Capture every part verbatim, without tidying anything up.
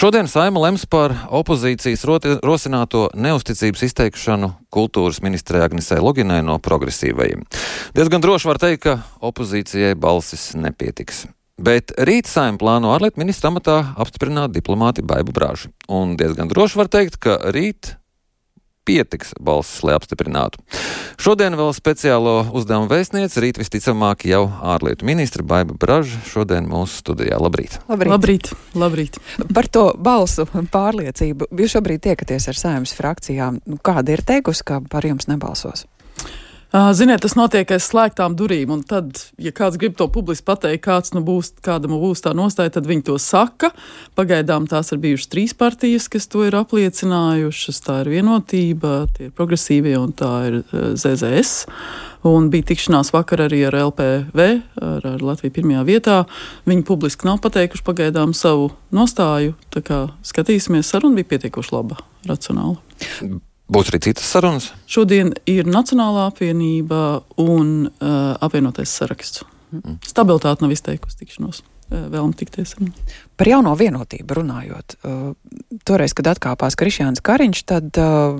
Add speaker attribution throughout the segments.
Speaker 1: Šodien Saeima lems par opozīcijas rosināto neusticības izteikšanu kultūras ministrei Agnesei Loginai no progresīvajiem. Diezgan droši var teikt, ka opozīcijai balsis nepietiks. Bet rīt Saeima plāno ārlietu ministra amatā apstiprināt diplomāti Baibu Bražu. Un diezgan droši var teikt, ka rīt pietiks balsis, lai apstiprinātu. Šodien vēl speciālo uzdevumu vēstniece, rīt visticamāk jau ārlietu ministra Baiba Braža, šodien mūsu studijā. Labrīt.
Speaker 2: Labrīt.
Speaker 3: Labrīt. Labrīt.
Speaker 2: Par to balsu pārliecību. Jūs šobrīd tiekaties ar Saeimas frakcijām. Kāda ir teikusi, ka par jums nebalsos?
Speaker 3: Ziniet, tas notiek aiz slēgtām durīm, un tad, ja kāds grib to publiski pateikt, kāds nu būs, kādam būs tā nostāja, tad viņi to saka. Pagaidām tās ir bijušas trīs partijas, kas to ir apliecinājušas. Tā ir Vienotība, tie ir progresīvie, un tā ir Z Z S. Un bija tikšanās vakar arī ar L P V, ar, ar Latviju pirmajā vietā. Viņi publiski nav pateikuši pagaidām savu nostāju, tā kā skatīsimies, saruna bija pietiekoši laba, racionāla.
Speaker 1: Būs arī citas sarunas?
Speaker 3: Šodien ir Nacionālā apvienība un uh, apvienotais saraksts. Mm. Stabilitāte nav izteikusi tikšanos, uh, vēlam tikties.
Speaker 2: Par jauno Vienotību runājot. Uh, toreiz, kad atkāpās Krišjāns Kariņš, tad uh,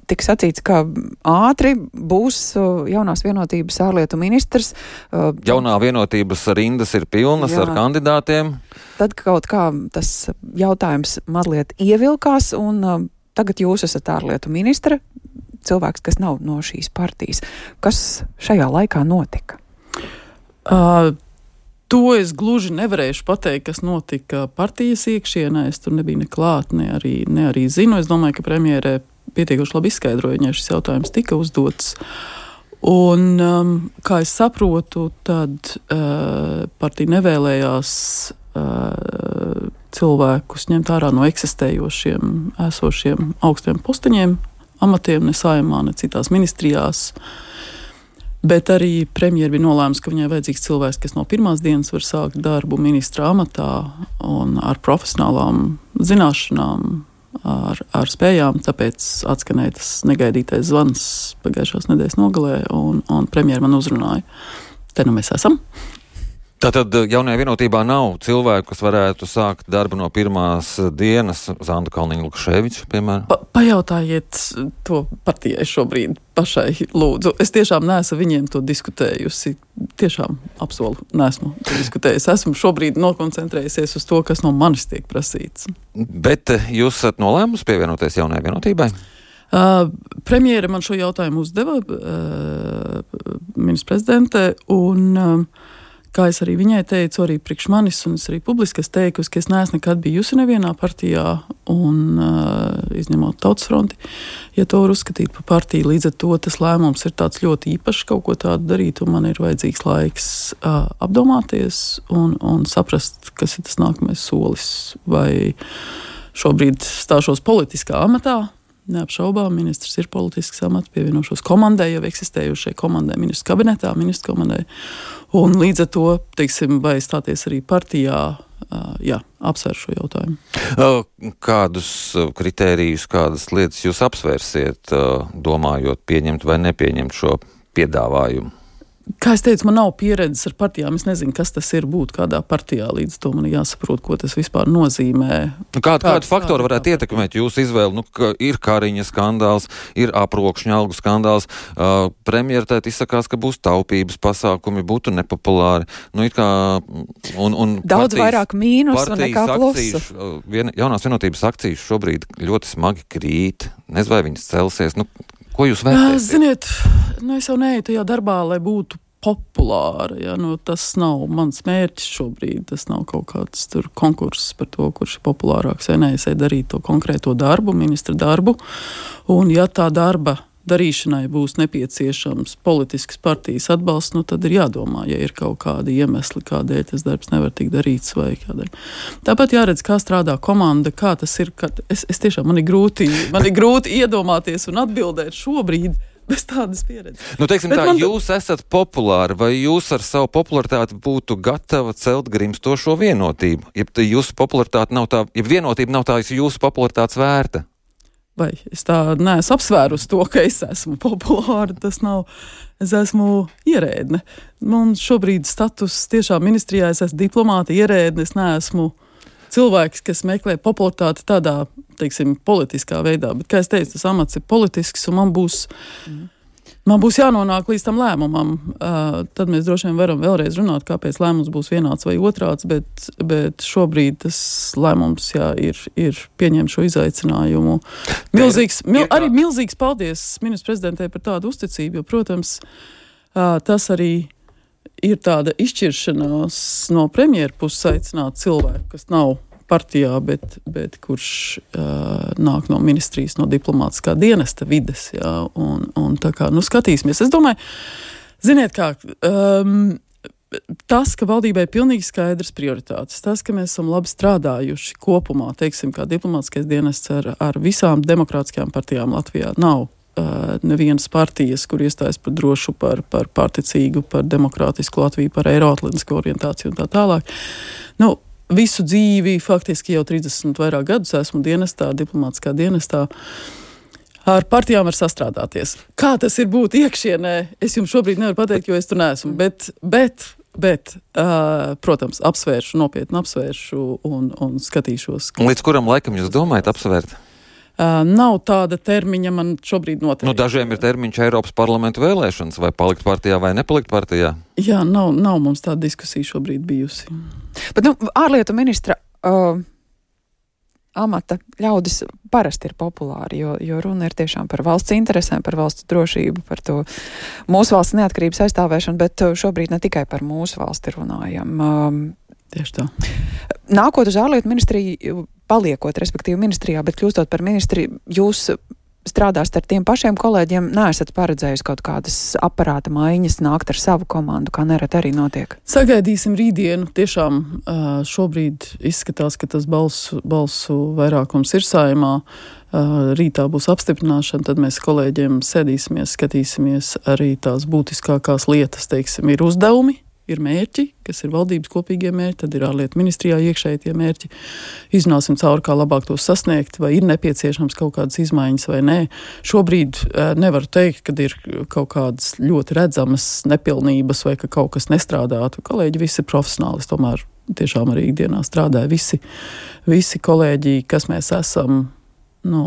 Speaker 2: tika sacīts, ka ātri būs uh, jaunās Vienotības ārlietu ministrs. Uh,
Speaker 1: Jaunā Vienotības rindas ir pilnas jā. Ar kandidātiem.
Speaker 2: Tad kaut kā tas jautājums mazliet ievilkās un uh, tagad jūs esat ārlietu ministra, cilvēks, kas nav no šīs partijas. Kas šajā laikā notika?
Speaker 3: Uh, to es gluži nevarēšu pateikt, kas notika partijas iekšienē. Es tur nebiju ne klāt, ne arī, ne arī zinu. Es domāju, ka premjerē pietiekoši labi izskaidroja, ja šis jautājums tika uzdots. Un, um, kā es saprotu, tad uh, partija nevēlējās uh, cilvēkus ņemt ārā no eksistējošiem, esošiem augstiem posteņiem, amatiem, ne Saeimā, ne citās ministrijās. Bet arī premjeri bija nolēms, ka viņai vajadzīgs cilvēks, kas no pirmās dienas var sākt darbu ministra amatā un ar profesionālām zināšanām, ar, ar spējām. Tāpēc atskanēja tas negaidītais zvans pagājušās nedēļas nogalē, un, un premjeri man uzrunāja. Te nu mēs esam.
Speaker 1: Tātad jaunajā Vienotībā nav cilvēku, kas varētu sākt darbu no pirmās dienas, Zanda Kalniņa-Lukaševiča, piemēram?
Speaker 3: Pa, pajautājiet to partijai šobrīd pašai, lūdzu. Es tiešām neesmu viņiem to diskutējusi. Tiešām apsolu, neesmu to diskutējusi. Esmu šobrīd nokoncentrējusies uz to, kas no manis tiek prasīts.
Speaker 1: Bet jūs esat nolēmusi pievienoties jaunajai Vienotībai?
Speaker 3: Uh, premjere man šo jautājumu uzdeva, uh, ministra prezidente, un uh, kā es arī viņai teicu, arī priekš manis, un es arī publiski teikusi, ka es neesmu nekad bijusi nevienā partijā, un uh, izņemot Tautas fronti, ja to var uzskatīt par partiju, līdz ar to tas lēmums ir tāds ļoti īpašs kaut ko tādu darīt, un man ir vajadzīgs laiks uh, apdomāties un, un saprast, kas ir tas nākamais solis, vai šobrīd stāšos politiskā amatā. Neapšaubām, ministrs ir politisks amats, pievienošos komandai, jau eksistējušai komandai, ministrs kabinetā, ministrs komandai. Un līdz ar to, teiksim, vai stāties arī partijā, jā, apsver šo jautājumu.
Speaker 1: Kādus kritērijus, kādas lietas jūs apsvērsiet, domājot pieņemt vai nepieņemt šo piedāvājumu?
Speaker 3: Kā es teicu, man nav pieredzes ar partijām. Es nezinu, kas tas ir būt kādā partijā. Līdz to man jāsaprot, ko tas vispār nozīmē.
Speaker 1: Nu, kādu, kādu faktoru varētu ietekmēt jūsu izvēli? Nu, ka ir Kariņa skandāls, ir apropšņa algu skandāls. Uh, Premjera tēt izsakās, ka būs taupības pasākumi, būtu nepopulāri. Nu, it kā, un, un
Speaker 2: daudz
Speaker 1: partijas,
Speaker 2: vairāk mīnusu nekā plusu.
Speaker 1: Uh, vien, jaunās Vienotības akcijas šobrīd ļoti smagi krīt. Nezinu, vai viņas celsies. Nu, ko jūs vērtēsiet?
Speaker 3: Ziniet, nu es jau neeju tajā darbā, lai būtu populāra. Ja? Nu, tas nav mans mērķis šobrīd. Tas nav kaut kāds tur konkurss par to, kurš ir populārāks. Ja nē, es eju darīt to konkrēto darbu, ministra darbu. Un ja tā darba darīšanai būs nepieciešams politisks partijas atbalsts, nu tad ir jādomā, ja ir kaut kādi iemesli, kādēļ tas darbs nevar tikt darīts vai kādēļ. Tāpat jāredz, kā strādā komanda, kā tas ir, kad es, es tiešām man ir grūti, man ir grūti iedomāties un atbildēt šobrīd bez tādas pieredzes.
Speaker 1: Nu, teiksim
Speaker 3: Bet
Speaker 1: tā,
Speaker 3: man...
Speaker 1: jūs esat populāri, vai jūs ar savu popularitāti būtu gatava celt grimstošo Vienotību? Ja jūsu popularitāte nav tā, ja Vienotība nav tā jūsu popularitātes vērta?
Speaker 3: Vai es tā neesmu apsvērus to, ka es esmu populāra, tas nav, es esmu ierēdne. Man šobrīd status tiešām ministrijā, es esmu diplomāta ierēdne, es neesmu cilvēks, kas meklē popularitāti tādā, teiksim, politiskā veidā. Bet, kā es teicu, tas amats ir politisks, un man būs, mm. man būs jānonāk līdz tam lēmumam. Uh, tad mēs droši vien varam vēlreiz runāt, kāpēc lēmums būs vienāds vai otrāds, bet, bet šobrīd tas lēmums, jā, ir, ir pieņemt šo izaicinājumu. Milzīgs, mil, arī milzīgs paldies ministrs prezidentē par tādu uzticību, jo, protams, uh, tas arī ir tāda izšķiršanās no premjera puses aicināt cilvēku, kas nav partijā, bet, bet kurš uh, nāk no ministrijas, no diplomātiskā dienesta vides. Jā, un, un tā kā, nu, skatīsimies. Es domāju, ziniet kā, um, tas, ka valdībai ir pilnīgi skaidrs prioritātes, tas, ka mēs esam labi strādājuši kopumā, teiksim, kā diplomātiskais dienests ar, ar visām demokrātiskajām partijām Latvijā, nav Uh, nevienas partijas, kur iestājas par drošu, par, par pārticīgu, par demokrātisku Latviju, par eiroatlantisku orientāciju un tā tālāk. Nu, visu dzīvi, faktiski jau trīsdesmit vairāk gadus esmu dienestā, diplomātiskā dienestā. Ar partijām var sastrādāties. Kā tas ir būt iekšienē, es jums šobrīd nevaru pateikt, jo es tur neesmu, bet, bet, bet uh, protams, apsvēršu, nopietni apsvēršu un, un skatīšos.
Speaker 1: Un līdz kuram laikam jūs domājat apsvērt?
Speaker 3: Uh, nav tāda termiņa man šobrīd noteikti.
Speaker 1: Nu, dažiem ir termiņš Eiropas parlamentu vēlēšanas, vai palikt partijā vai nepalikt partijā.
Speaker 3: Jā, nav, nav mums tāda diskusija šobrīd bijusi.
Speaker 2: Bet, nu, ārlietu ministra uh, amata ļaudis parasti ir populāri, jo, jo runa ir tiešām par valsts interesēm, par valsts drošību, par to mūsu valsts neatkarības aizstāvēšanu, bet šobrīd ne tikai par mūsu valsti runājam. Um,
Speaker 3: Tieši tā.
Speaker 2: Nākot uz ārlietu ministriju, paliekot, respektīvi ministrijā, bet kļūstot par ministri, jūs strādāsiet ar tiem pašiem kolēģiem, neesat paredzējusi kaut kādas aparāta maiņas, nākt ar savu komandu, kā nerad arī notiek?
Speaker 3: Sagaidīsim rītdienu. Tiešām šobrīd izskatās, ka tas balsu, balsu vairākums ir Saeimā. Rītā būs apstiprināšana, tad mēs kolēģiem sēdīsimies, skatīsimies arī tās būtiskākās lietas, teiksim, ir uzdevumi. Ir mērķi, kas ir valdības kopīgie mērķi, tad ir ārlietu ministrijā iekšēji tie mērķi. Izrunāsim cauri, kā labāk tos sasniegt, vai ir nepieciešams kaut kādas izmaiņas vai nē. Šobrīd e, nevaru teikt, kad ir kaut kādas ļoti redzamas nepilnības vai ka kaut kas nestrādātu. Kolēģi visi ir profesionāli, tomēr tiešām arī ikdienā strādāja visi, visi kolēģi, kas mēs esam. Nu,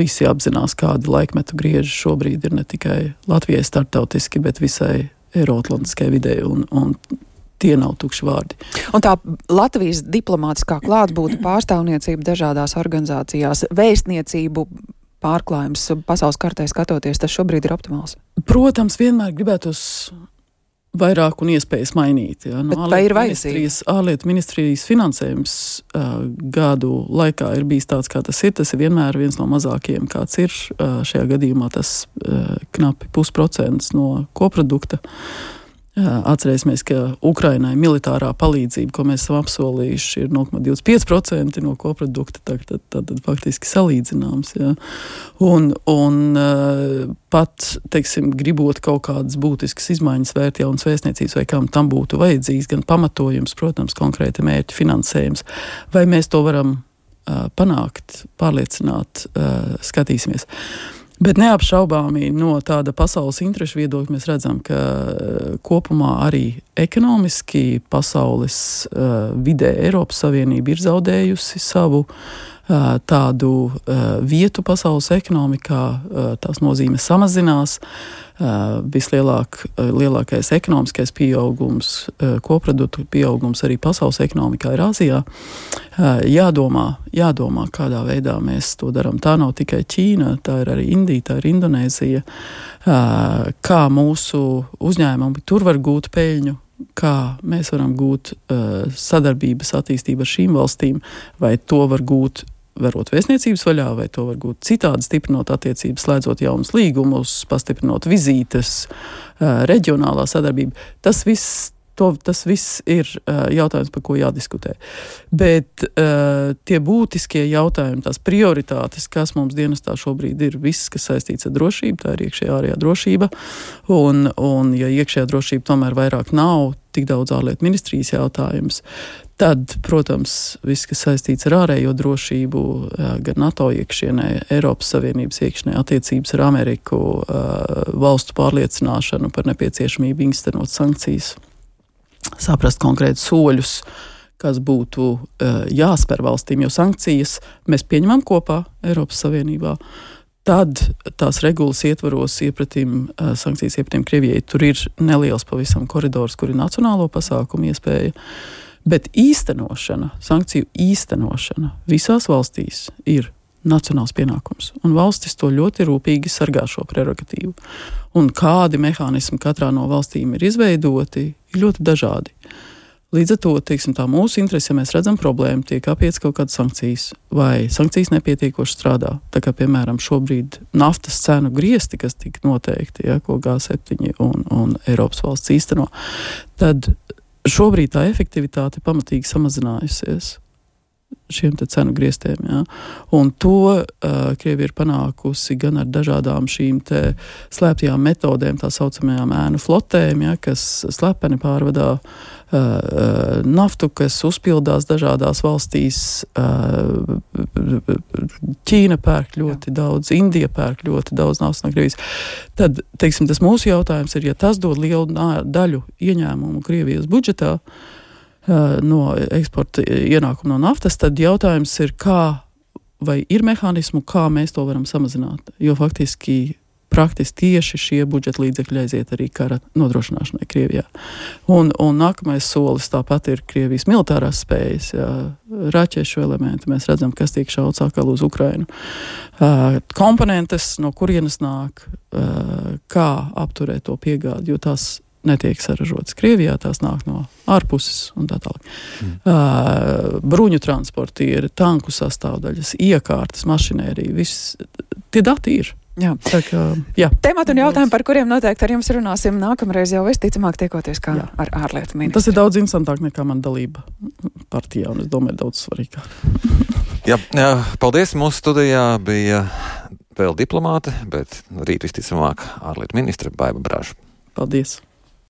Speaker 3: visi apzinās, kādi laikmetu grieži šobrīd ir ne tikai Latvijai starptautiski, bet visai eiroatlantiskai vidē, un, un tie nav tukši vārdi.
Speaker 2: Un tā Latvijas diplomātiskā klātbūtne, pārstāvniecība dažādās organizācijās, vēstniecību pārklājums pasaules kartē skatoties, tas šobrīd ir optimāls?
Speaker 3: Protams, vienmēr gribētos vairāk un iespējas mainīt. Ja? No,
Speaker 2: Bet vai ir vajadzīgs?
Speaker 3: Ārlietu ministrijas finansējums uh, gadu laikā ir bijis tāds, kā tas ir. Tas ir vienmēr viens no mazākajiem, kāds ir. Uh, šajā gadījumā tas uh, knapi pusprocents no koprodukta. Uh, atcerēsimies, ka Ukrainai militārā palīdzība, ko mēs esam apsolījuši, ir nulle komats divdesmit pieci procenti no koprodukta, tad, tad, tad, tad faktiski salīdzināms. Ja? Un, un uh, pat, teiksim, gribot kaut kādas būtiskas izmaiņas vērt jaunas vēstniecības vai kam tam būtu vajadzīgs, gan pamatojums, protams, konkrēti mērķi finansējums, vai mēs to varam uh, panākt, pārliecināt, uh, skatīsimies. Bet neapšaubāmi no tāda pasaules interešu viedokļa mēs redzam, ka kopumā arī ekonomiski pasaules uh, vidē Eiropas Savienība ir zaudējusi savu uh, tādu uh, vietu pasaules ekonomikā, uh, tās nozīme samazinās. Uh, vislielāk, uh, lielākais ekonomiskais pieaugums, uh, koproduktu pieaugums arī pasaules ekonomikā ir Āzijā. Uh, jādomā, jādomā, kādā veidā mēs to darām. Tā nav tikai Ķīna, tā ir arī Indija, tā ir Indonēzija. Uh, kā mūsu uzņēmumi tur var gūt peļņu, kā mēs varam gūt uh, sadarbības attīstību ar šīm valstīm, vai to var gūt verot vēstniecības vaļā, vai to var gūt citādi, stiprinot attiecības, slēdzot jaunus līgumus, pastiprinot vizītes, uh, reģionālā sadarbība. Tas viss, to, tas viss ir uh, jautājums, par ko jādiskutē. Bet uh, tie būtiskie jautājumi, tās prioritātes, kas mums dienestā šobrīd ir, viss, kas saistīts ar drošību, tā ir iekšējā ārējā drošība, un, un ja iekšējā drošība tomēr vairāk nav tik daudz ārlietu ministrijas jautājums, tad, protams, viss, kas saistīts ar ārējo drošību, gan NATO iekšienē, Eiropas Savienības iekšienē, attiecības ar Ameriku, valstu pārliecināšanu par nepieciešamību īstenot sankcijas, saprast konkrētus soļus, kas būtu uh, jāspēr valstīm, jo sankcijas mēs pieņemam kopā Eiropas Savienībā. Tad tās regulas ietvaros iepratīm, uh, sankcijas iepratīm Krievijai, tur ir neliels pavisam koridors, kur ir nacionālo pasākumu iespēja, bet īstenošana, sankciju īstenošana visās valstīs ir nacionāls pienākums, un valstis to ļoti rūpīgi sargā šo prerogatīvu. Un kādi mehānismi katrā no valstīm ir izveidoti, ir ļoti dažādi. Līdz ar to, teiksim, tā mūsu interese, ja mēs redzam problēmu, tiek apiets kaut kādas sankcijas, vai sankcijas nepietiekoši strādā. Tā kā, piemēram, šobrīd naftas cenu griesti, kas tika noteikti, ja, ko G septiņi un, un Eiropas valsts īsteno, tad šobrīd tā efektivitāte pamatīgi samazinājusies šiem te cenu griestiem, ja. Un to uh, Krievija ir panākusi gan ar dažādām šīm te slēptajām metodēm, tā saucamajām ēnu flotēm, ja, kas slepeni pārvadā uh, naftu, kas uzpildās dažādās valstīs. Uh, Ķīna pērk ļoti Jā. daudz, Indija pērk ļoti daudz naftas no Krievijas. Tad, teiksim, tas mūsu jautājums ir, ja tas dod lielu daļu ieņēmumu Krievijas budžetā, no eksporta ienākuma no naftas, tad jautājums ir, kā, vai ir mehānismu, kā mēs to varam samazināt. Jo faktiski praktiski tieši šie budžeta līdzekļi aiziet arī kara nodrošināšanai Krievijā. Un, un nākamais solis tāpat ir Krievijas militārās spējas, jā, raķešu elementi. Mēs redzam, kas tiek šauts atkal uz Ukrainu. Uh, komponentes, no kurienes nāk, uh, kā apturēt to piegādi, jo tās netiek saražotas Krievijā, tās nāk no ārpuses un tā tālāk. Mm. Uh, bruņu transportieri, tanku sastāvdaļas, iekārtas, mašinērija, viss, tie dati ir.
Speaker 2: Jā.
Speaker 3: Tā kā, jā.
Speaker 2: Temati un jautājumi, par kuriem noteikti ar jums runāsim nākamreiz jau visticamāk tiekoties kā jā. ar ārlietu ministru.
Speaker 3: Tas ir daudz interesantāk nekā man dalība partijā, un es domāju, daudz svarīgāk.
Speaker 1: jā, jā, paldies. Mūsu studijā bija vēl diplomāte, bet rīt visticamāk ārlietu ministra Baiba Braža.
Speaker 3: Paldies.